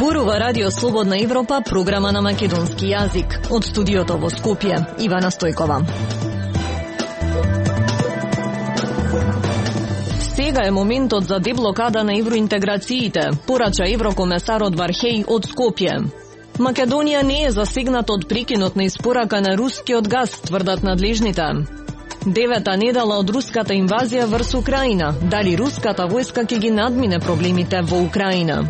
Зборува Радио Слободна Европа, програма на македонски јазик. Од студиото во Скопје, Ивана Стојкова. Сега е моментот за деблокада на евроинтеграциите, порача еврокомесарот Вархеј од Скопје. Македонија не е засегната од прекинот на испорака на рускиот газ, тврдат надлежните. Девета недела од руската инвазија врз Украина. Дали руската војска ќе ги надмине проблемите во Украина?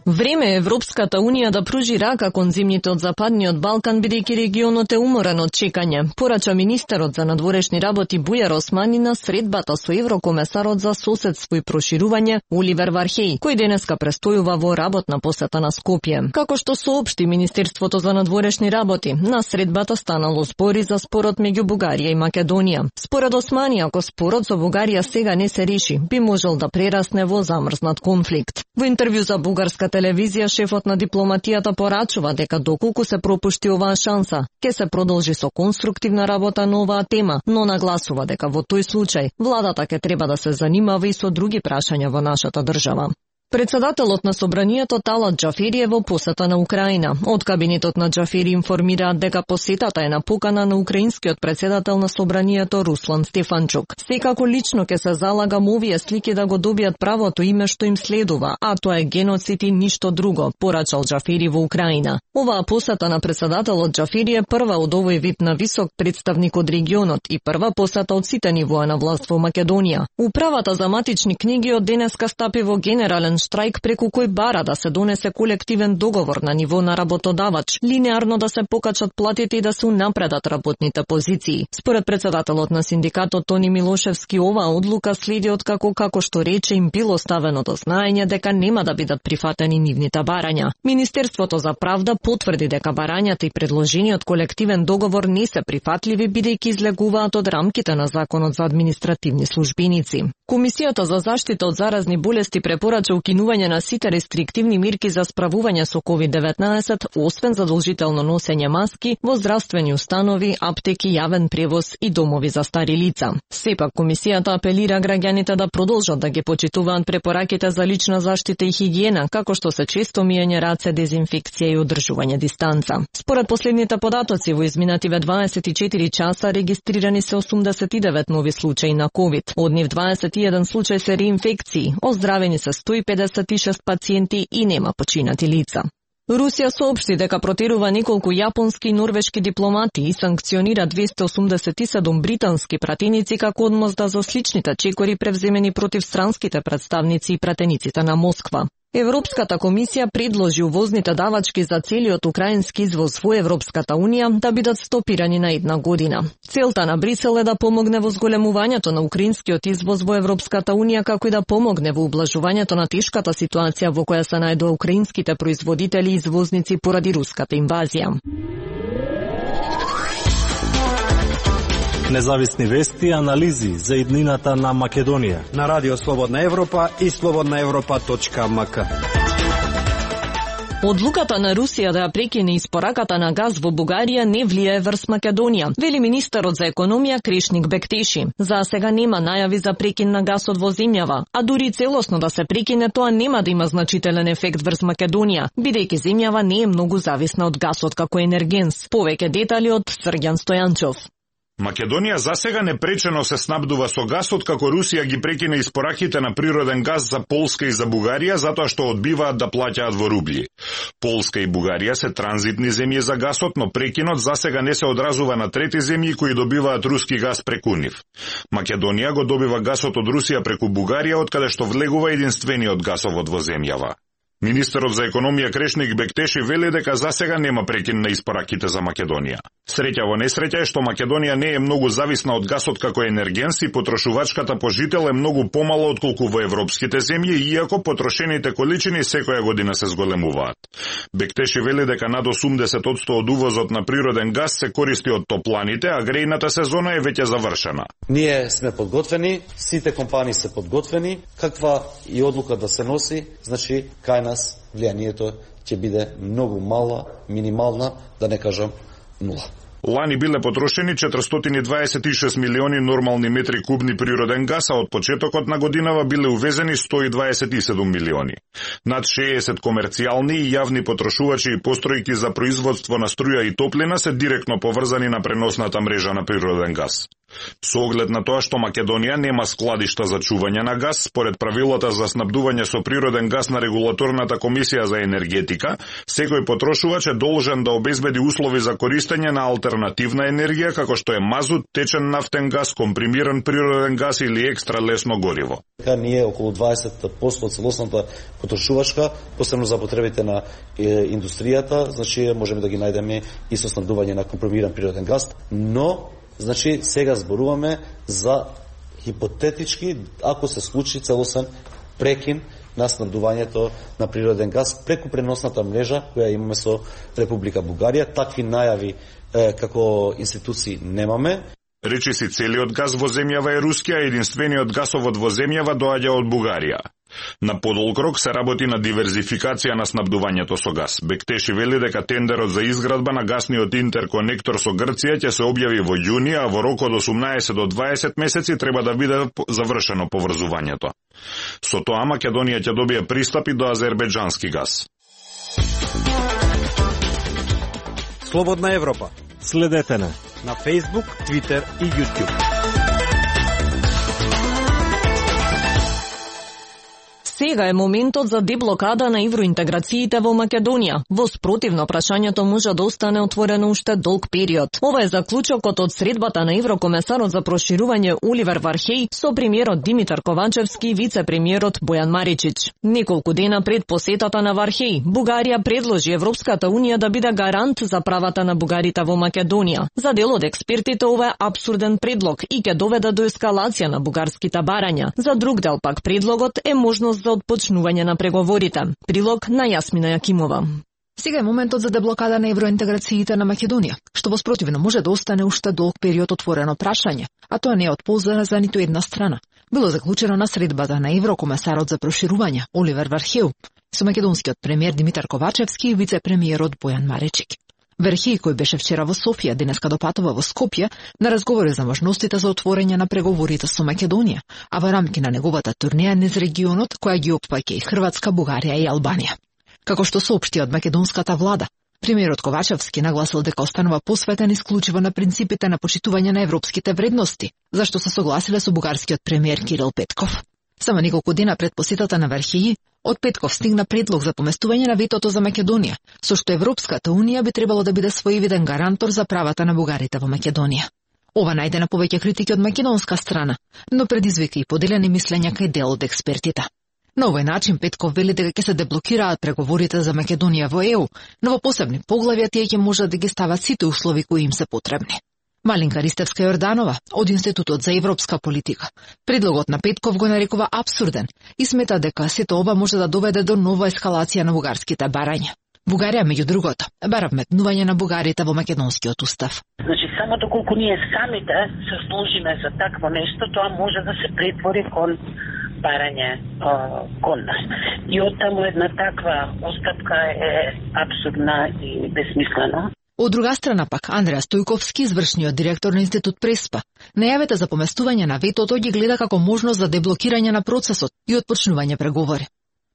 Време е Европската Унија да пружи рака кон земјите од Западниот Балкан, бидејќи регионот е уморен од чекање, порача министерот за надворешни работи Бујар Османи на средбата со еврокомесарот за соседство и проширување Оливер Вархеј, кој денеска престојува во работна посета на Скопје. Како што соопшти Министерството за надворешни работи, на средбата станало збори за спорот меѓу Бугарија и Македонија. Според Османи, ако спорот со Бугарија сега не се реши, би можел да прерасне во замрзнат конфликт. Во интервју за бугарска телевизија, шефот на дипломатијата порачува дека доколку се пропушти оваа шанса, ќе се продолжи со конструктивна работа на оваа тема, но нагласува дека во тој случај владата ќе треба да се занимава и со други прашања во нашата држава. Председателот на Собранието Талат Џафери е во посета на Украина. Од кабинетот на Џафери информираат дека посетата е на покана на украинскиот председател на Собранието Руслан Стефанчук. Секако лично ќе се залагам овие слики да го добијат правото име што им следува, а тоа е геноцид и ништо друго, порачал Џафери во Украина. Оваа посета на председателот Џафери е прва од овој вид на висок представник од регионот и прва посета од сите нивоа на власт во Македонија. Управата за матични книги од денеска стапи во генерален штрајк преку кој бара да се донесе колективен договор на ниво на работодавач, линеарно да се покачат платите и да се унапредат работните позиции. Според председателот на синдикатот Тони Милошевски, оваа одлука следи од како што рече им било ставено до знаење дека нема да бидат прифатени нивните барања. Министерството за правда потврди дека барањата и предложениот колективен договор не се прифатливи бидејќи излегуваат од рамките на Законот за административни службеници. Комисијата за заштита од заразни болести препорача укинување на сите рестриктивни мерки за справување со COVID-19, освен задолжително носење маски во здравствени установи, аптеки, јавен превоз и домови за стари лица. Сепак комисијата апелира граѓаните да продолжат да ги почитуваат препораките за лична заштита и хигиена, како што се често миење раце, дезинфекција и одржување дистанца. Според последните податоци во изминативе 24 часа регистрирани се 89 нови случаи на COVID. Од нив 21 случај се реинфекции, оздравени се 156 пациенти и нема починати лица. Русија соопшти дека протерува неколку јапонски и норвешки дипломати и санкционира 287 британски пратеници како одмозда за сличните чекори превземени против странските представници и пратениците на Москва. Европската комисија предложи увозните давачки за целиот украински извоз во Европската Унија да бидат стопирани на 1 година. Целта на Брисел е да помогне во зголемувањето на украинскиот извоз во Европската Унија, како и да помогне во ублажувањето на тешката ситуација во која се најдува украинските производители и извозници поради руската инвазија. Независни вести и анализи за иднината на Македонија на Радио Слободна Европа и slobodnaevropa.mk. Одлуката на Русија да ја прекине испораката на газ во Бугарија не влијае врз Македонија, вели министерот за економија Крешник Бектеши. За сега нема најави за прекин на гасот во земјава, а дури целосно да се прекине, тоа нема да има значителен ефект врз Македонија, бидејќи земјава не е многу зависна од гасот како енергенс. Повеќе детали од Срѓан Стојанчов. Македонија засега непречено се снабдува со гас откако Русија ги прекина испораките на природен газ за Полска и за Бугарија затоа што одбиваат да плаќаат во рубли. Полска и Бугарија се транзитни земји за гасот, но прекинот засега не се одразува на трети земји кои добиваат руски газ преку нив. Македонија го добива гасот од Русија преку Бугарија, откаде што влегува единствениот гасовод во земјава. Министерот за економија Крешник Бектеши вели дека засега нема прекин на испораките за Македонија. Среќа во несреќа е што Македонија не е многу зависна од гасот како енергенс и потрошувачката по жител е многу помала отколку во европските земји, иако потрошените количини секоја година се зголемуваат. Бектеши вели дека над 80% од увозот на природен газ се користи од топланите, а грејната сезона е веќе завршена. Ние сме подготвени, сите компании се подготвени, каква и одлука да се носи, значи кај нас влијанието ќе биде многу мала, минимална, да не кажам нула. Лани биле потрошени 426 милиони нормални метри кубни природен газ, а од почетокот на годинава биле увезени 127 милиони. Над 60 комерцијални и јавни потрошувачи и постројки за производство на струја и топлина се директно поврзани на преносната мрежа на природен газ. Со оглед на тоа што Македонија нема складишта за чување на газ, според правилата за снабдување со природен газ на Регулаторната комисија за енергетика, секој потрошувач е должен да обезбеди услови за користење на алтернативна енергија, како што е мазут, течен нафтен газ, компримиран природен газ или екстра лесно гориво. Ние околу 20% од целосната потрошувачка, посебно за потребите на индустријата, значи можеме да ги најдеме и со снабдување на компримиран природен газ, но значи сега зборуваме за хипотетички, ако се случи целосен прекин на снабдувањето на природен газ преку преносната мрежа која имаме со Република Бугарија. Такви најави како институции немаме. Речиси целиот газ во земјава е руски, а единствениот гасовод во земјава доаѓа од Бугарија. На подолг рок се работи на диверзификација на снабдувањето со газ. Бектеши вели дека тендерот за изградба на гасниот интерконектор со Грција ќе се објави во јуни, а во рок од 18 до 20 месеци треба да биде завршено поврзувањето. Со тоа Македонија ќе добие пристапи до азербејџански газ. Слободна Европа. Следете на Facebook, Twitter и YouTube. Сега е моментот за деблокада на евроинтеграциите во Македонија. Во спротивно, прашањето може да остане отворено уште долг период. Ова е заклучокот од средбата на еврокомесарот за проширување Оливер Вархеј со премиерот Димитар Ковачевски и вице-премиерот Бојан Маричич. Неколку дена пред посетата на Вархеј, Бугарија предложи Европската унија да биде гарант за правата на бугарите во Македонија. За дел од експертите ова е апсурден предлог и ќе доведе до ескалација на бугарските барања. За друг дел пак предлогот е можност за отпочнување на преговорите. Прилог на Јасмина Јакимова. Сега е моментот за деблокада на евроинтеграциите на Македонија, што во спротивно може да остане уште долг период отворено прашање, а тоа не е од полза за ниту една страна. Било заклучено на средбата на еврокомесарот за проширување Оливер Вархеј со македонскиот премиер Димитар Ковачевски и вице-премиерот Бојан Маричик. Вархеј, кој беше вчера во Софија, денеска допатува во Скопје на разговори за можностите за отворање на преговорите со Македонија, а во рамки на неговата турнеја низ регионот, која ги опфаќа и Хрватска, Бугарија и Албанија. Како што соопшти од македонската влада, премиерот Ковачевски нагласил дека останува посветен исклучиво на принципите на почитување на европските вредности, зашто се согласиле со бугарскиот премиер Кирил Петков. Само неколку дена пред посетата на Вархеј, од Петков стигна предлог за поместување на ветото за Македонија, со што Европската унија би требало да биде своевиден гарантор за правата на бугарите во Македонија. Ова најде на повеќе критики од македонска страна, но предизвика и поделени мислења кај дел од експертите. На овој начин Петков вели дека ќе се деблокираат преговорите за Македонија во ЕУ, но во посебни поглавја тие ќе можат да ги стават сите услови кои им се потребни. Малинка Ристевска-Јорданова од Институтот за европска политика предлогот на Петков го нарекува апсурден и смета дека сето ова може да доведе до нова ескалација на бугарските барања. Бугарија, меѓу другото, бара вметнување на бугарите во македонскиот устав. Значи, само доколку ние самите се сложиме за такво нешто, тоа може да се претвори кон барање кон нас. И оттаму една таква остапка е апсурдна и безсмислена. Од друга страна пак, Андреа Стојковски, извршниот директор на Институт Преспа, најавата за поместување на ветото ги гледа како можност за деблокирање на процесот и отпочнување преговори.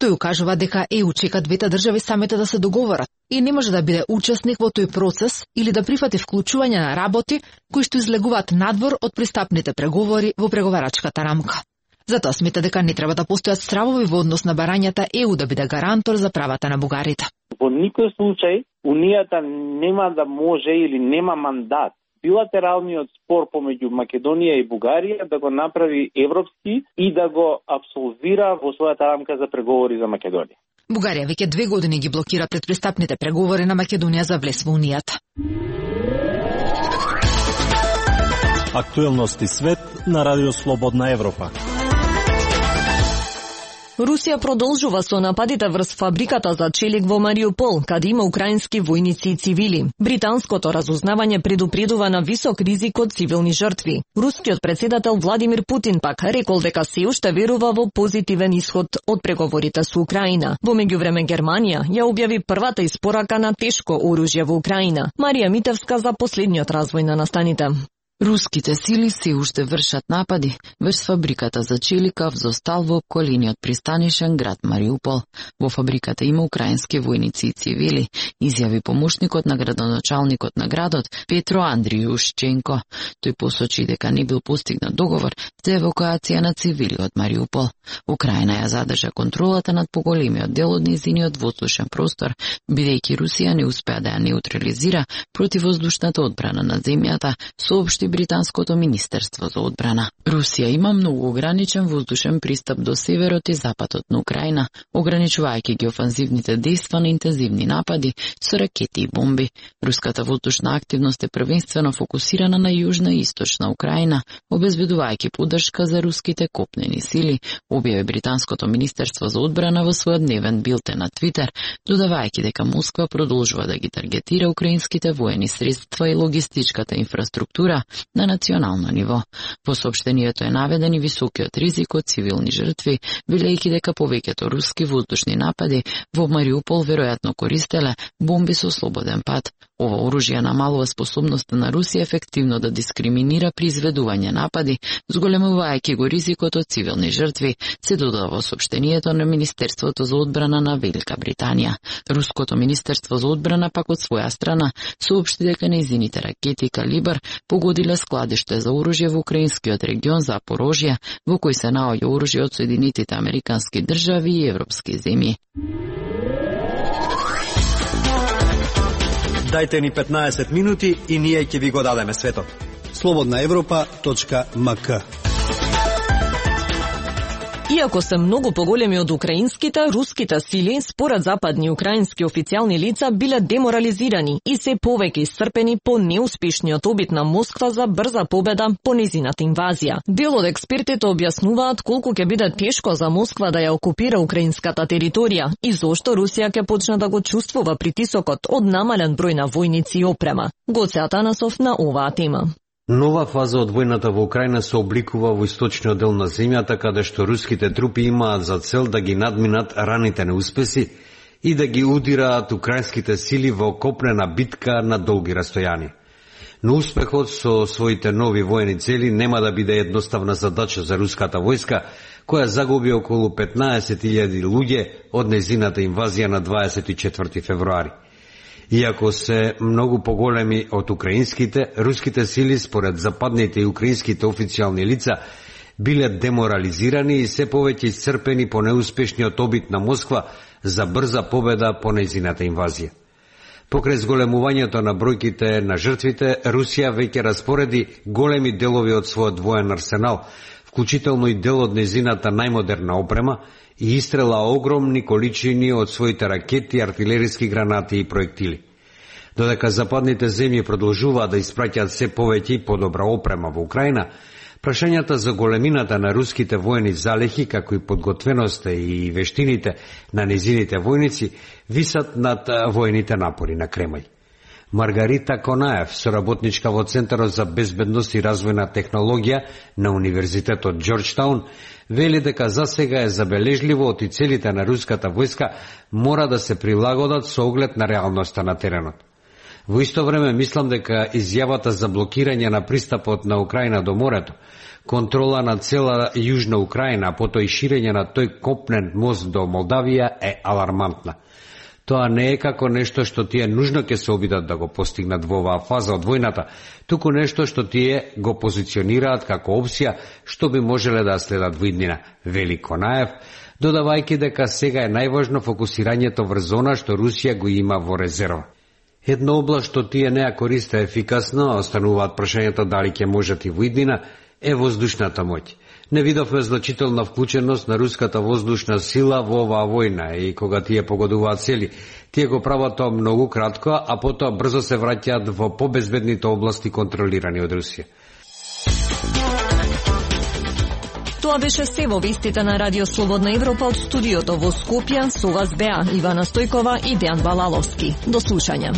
Тој укажува дека ЕУ чека двете држави самите да се договорат и не може да биде учесник во тој процес или да прифати вклучување на работи кои што излегуваат надвор од пристапните преговори во преговарачката рамка. Затоа смета дека не треба да постојат стравови во однос на барањата ЕУ да биде гарантор за правата на бугарите. Во никој случај Унијата нема да може или нема мандат билатералниот спор помеѓу Македонија и Бугарија да го направи европски и да го абсолвира во својата рамка за преговори за Македонија. Бугарија веќе 2 години ги блокира предпристапните преговори на Македонија за влез во Унијата. Актуелности свет на Радио Слободна Европа. Русија продолжува со нападите врз фабриката за челик во Мариупол, каде има украински војници и цивили. Британското разузнавање предупредува на висок ризик од цивилни жртви. Рускиот председател Владимир Путин пак рекол дека се уште верува во позитивен исход од преговорите со Украина. Во меѓувреме Германија ја објави првата испорака на тешко оружје во Украина. Марија Митевска за последниот развој на настаните. Руските сили се уште вршат напади врз фабриката за челика зостал во околиниот пристанишен град Мариупол. Во фабриката има украински војници и цивили, изјави помошникот на градоначалникот на градот Петро Андријушченко. Тој посочи дека не бил постигнат договор за евакуација на цивили од Мариупол. Украина ја задржа контролата над поголемиот дел од нејзиниот воздушен простор, бидејќи Русија не успеа да ја неутрализира противвоздушната одбрана на земјата, соопшти Британското министерство за одбрана. Русија има многу ограничен воздушен пристап до северот и западот на Украина, ограничувајќи ги офанзивните дејства на интензивни напади со ракети и бомби. Руската воздушна активност е првенствено фокусирана на јужна и источна Украина, обезбедувајќи поддршка за руските копнени сили, објави Британското министерство за одбрана во својот дневен билтен на Твитер, додавајќи дека Москва продолжува да ги таргетира украинските воени средства и логистичката инфраструктура на национално ниво. Во соопштението е наведен и високиот ризик од цивилни жртви, велејќи дека повеќето руски воздушни напади во Мариупол веројатно користеле бомби со слободен пат. Ова оружје намалува способноста на Русија ефективно да дискриминира при изведување напади, зголемувајќи го ризикот од цивилни жртви, се додава во соопштението на Министерството за одбрана на Велика Британија. Руското Министерство за одбрана пак од своја страна соопшти дека нејзините ракети калибар погодиле складиште за оружје во украинскиот регион Запорожје, во кој се наоѓа оружје од Соединетите Американски држави и европски земји. Дајте ни 15 минути и ние ќе ви го дадеме светот. slobodnaevropa.mk. Иако се многу поголеми од украинските, руските сили, според западни украински официјални лица, биле деморализирани и се повеќе исцрпени по неуспешниот обид на Москва за брза победа по незината инвазија. Дел од експертите објаснуваат колку ќе биде тешко за Москва да ја окупира украинската територија и зошто Русија ќе почне да го чувствува притисокот од намален број на војници и опрема. Гоце Атанасов на оваа тема. Нова фаза од војната во Украина се обликува во источниот дел на земјата, каде што руските трупи имаат за цел да ги надминат раните неуспеси и да ги удираат украинските сили во копнена битка на долги растојани. Но успехот со своите нови воени цели нема да биде едноставна задача за руската војска, која загуби околу 15.000 луѓе од незината инвазија на 24 февруари. Иако се многу поголеми од украинските, руските сили според западните и украинските официјални лица биле деморализирани и се повеќе исцрпени по неуспешниот обид на Москва за брза победа по нејзината инвазија. Покрај зголемувањето на бројките на жртвите, Русија веќе распореди големи делови од својот воен арсенал, вклучително и дел од нејзината најмодерна опрема, и истрела огромни количини од своите ракети, артилериски гранати и проектили. Додека западните земји продолжуваат да испраќаат се повеќе и подобра опрема во Украина, прашањата за големината на руските воени залехи, како и подготвеноста и вештините на незините војници, висат над воените напори на Кремљ. Маргарита Конаев, соработничка во Центарот за безбедност и развојна технологија на Универзитетот Џорџтаун, вели дека засега е забележливо од и целите на руската војска мора да се прилагодат со оглед на реалноста на теренот. Во исто време мислам дека изјавата за блокирање на пристапот на Украина до морето, контрола на цела јужна Украина, а потоа и ширење на тој копнен мост до Молдавија е алармантна. Тоа не е како нешто што тие нужно ќе се обидат да го постигнат во оваа фаза од војната, туку нешто што тие го позиционираат како опција што би можеле да следат во иднина, вели Конаев, додавајќи дека сега е најважно фокусирањето врз она што Русија го има во резерва. Една област што тие не ја користе ефикасно, остануваат прашањата дали ќе можат и во иднина, е воздушната моќ. Не видовме значителна вклученост на руската воздушна сила во оваа војна и кога тие погодуваат цели, тие го прават тоа многу кратко, а потоа брзо се враќаат во побезбедните области контролирани од Русија. Тоа беше се во вестите на Радио Слободна Европа од студиото во Скопје. Со вас беа Ивана Стојкова и Дејан Балаловски. До слушање.